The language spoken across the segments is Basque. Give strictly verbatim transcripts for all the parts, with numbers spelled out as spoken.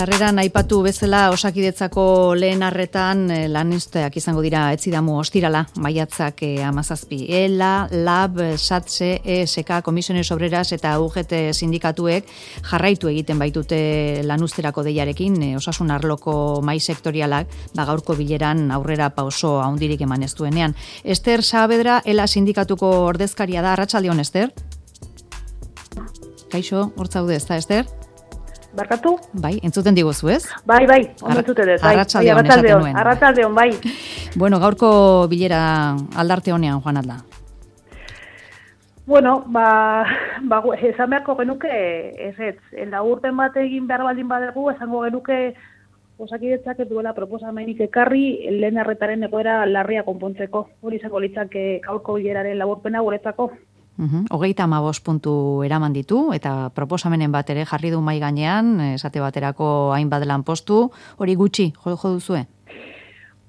sarreran aipatu bezala Osakidetzako lehen arretan lanuzteak izango dira etzidamu ostirala, maiatzak hamazazpi. ELA, LAB, SATSE, E S K, Comisiones Obreras eta U G T sindikatuek jarraitu egiten baitute lanuzterako deiarekin, osasun arloko mai sektorialak, ba gaurko bileran aurrera pauso handirik eman ez duenean. Ester Saavedra, ELA sindikatuko ordezkaria da. Arratsaldeon, Ester? Kaixo, hor zaude, ez da, Ester? Barkatu? Bai, entzuten diguzu, ez? Bai, bai, ondo entzuten dut, bai. Arratsaldeon esaten nuen. Arratsaldeon, bai. Bueno, gaurko bilera aldarte honean joan alda. Bueno, ba, ba esan beharko genuke, ez ez, urten bat egin behar baldin badegu, esango genuke Osakidetzak ez duela proposamenik ekarri lehen arretaren egoera larria konpontzeko. Hori izango litzake gaurko bileraren laburpena guretzako. Uhum. Hogeita hamabost puntu eraman ditu, eta proposamenen bat ere jarri du mai gainean, esate baterako hainbat lanpostu, hori gutxi, jo, jo duzue?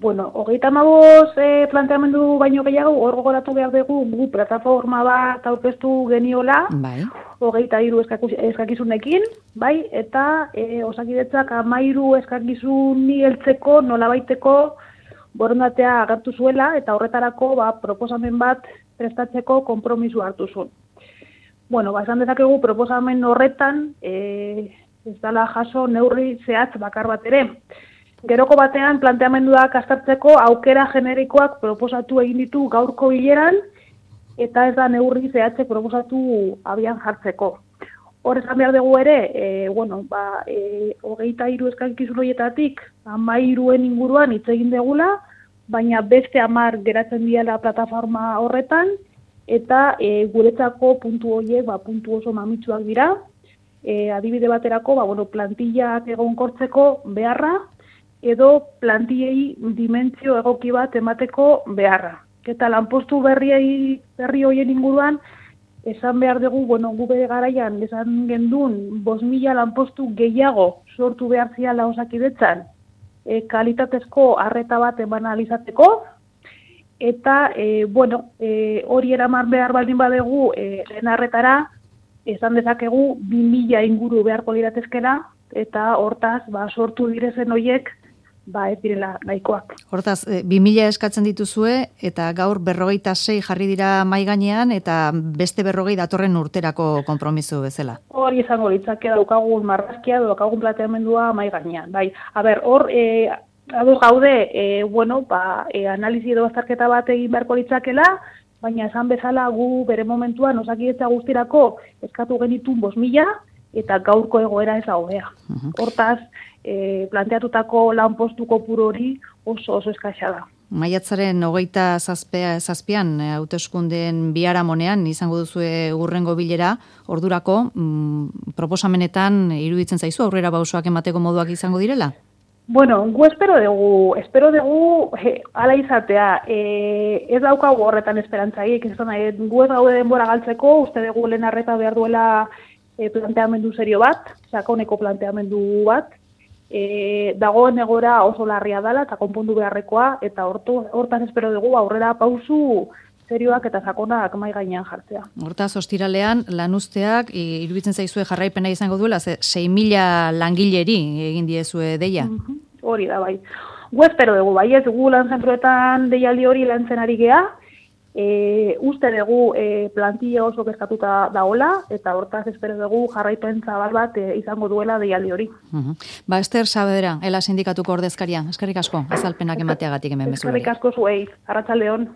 Bueno, hogeita hamabost eh, planteamendu baino gehiago, hor gogoratu behar dugu, gu plataforma bat aurkeztu geniola, bai. hogeita hiru eskakizunekin, bai, eta eh, Osakidetzak hamairu eskakizuni heltzeko nolabaiteko borondatea agertu zuela, eta horretarako ba, proposamen bat prestatzeko konpromisu hartu zuen. Bueno, ba, esan dezakegu proposamen horretan, e, ez dela jaso neurri zehatz bakar bat ere. Geroko batean planteamenduak aztertzeko aukera generikoak proposatu egin ditu gaurko bileran, eta ez da neurri zehatzek proposatu abian jartzeko. Hor esan behar dugu ere, e, bueno, ba, e, hogeita hiru eskakizun horietatik, hamairuen inguruan hitz egin degula, baina beste hamar geratzen diela plataforma horretan, eta e, guretzako puntu horiek ba, puntu oso mamitsuak dira. E, adibide baterako, ba, bueno, plantillak egonkortzeko beharra, edo plantillei dimentsio egoki bat emateko beharra. Eta lanpostu berriei berri horien inguruan, esan behar dugu, bueno, gu bere garaian, esan gendun, bost mila lanpostu gehiago sortu behar ziala Osakidetzan, E, kalitatezko arreta bat eman alizateko, eta, e, bueno, e, hori eraman behar baldin badegu e, lehen arretara, esan dezakegu bi mila inguru beharko liratezkela, eta hortaz, ba, sortu direzen horiek, ba, ez direla nahikoak. Hortaz, bi mila eskatzen dituzue, eta gaur berrogeita sei jarri dira mai gainean, eta beste berrogei datorren urterako konpromiso bezala. Hori izango litzake daukagun marrazkia, daukagun planteamendua mai gainean. Bai, a ber, hor, e, ados gaude, e, bueno, ba, e, analizi edo azterketa bat egin beharko litzakela, baina esan bezala gu bere momentuan Osakidetza guztirako eskatu genitun bost mila, eta gaurko egoera ez da hobea. Uh-huh. Hortaz, e, planteatutako lanpostu kopuru hori oso oso eskaxa da. Maiatzaren hogeita zazpian hauteskundeen biharamonean izango duzue hurrengo bilera, ordurako mm, proposamenetan iruditzen zaizu aurrera pausoak emateko moduak izango direla? Bueno, gu espero dugu, espero dugu he, ala izatea, e, ez daukagu horretan esperantzaik, ez da, e, gu ez gaude denbora galtzeko, uste dugu lehen arreta behar duela e, planteamendu serio bat, sakoneko planteamendu bat, E, dagoen egora oso larria dela eta konpondu beharrekoa, eta hortu, hortan espero dugu aurrera pausu serioak eta sakonak mai gainean jartzea. Hortaz, ostiralean, lanuzteak, iruditzen zaizue jarraipena izango duela, ze sei mila langileri egin diezue deia? Mm-hmm. Hori da, bai. Gu espero dugu, bai, ez gu lan zentroetan deialdi hori lantzen ari gea, E, uste dugu e, plantilla oso kezkatuta dagoela, eta hortaz espero dugu jarraipen zabal bat e, izango duela deialdi hori. Uh-huh. Ba, Ester Saavedra, ELA sindikatuko ordezkaria, eskerrik asko, azalpenak emateagatik hemen bezala. Eskerrik asko zuei, arratsaldeon.